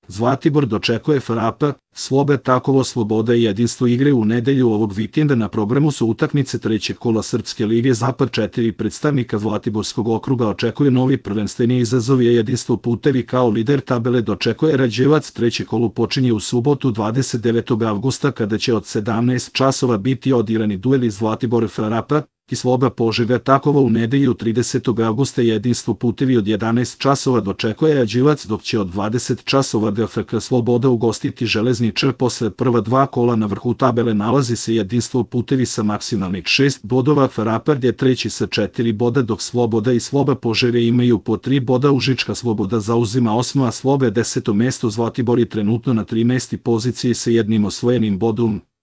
Zlatibor dočekuje FRAP, Slobe Takovo Sloboda i Jedinstvo igre u nedelju ovog vikenda. Na programu su utakmice trećeg kola Srpske lige Zapad. 4 predstavnika Zlatiborskog okruga očekuje novi prvenstveni izazov, je Jedinstvo Putevi kao lider tabele dočekuje Rađevac. Treće kolo počinje u subotu 29. avgusta kada će od 17 časova biti odigrani dueli Zlatibor FRAP i Sloba Požega Takovo. U nedelju 30. avgusta Jedinstvo Putevi od 11 časova dočekuje Rađevac, dok će od 20 časova GFK Sloboda ugostiti Železničar. Posle prva dva kola na vrhu tabele nalazi se Jedinstvo Putevi sa maksimalnih 6 bodova, FRAP je treći sa 4 boda, dok Sloboda i Sloba Požega imaju po 3 boda. Užička Sloboda zauzima 8. a Slobe 10. mesto. Zlatibor je trenutno na 13. poziciji sa jednim osvojenim bodom.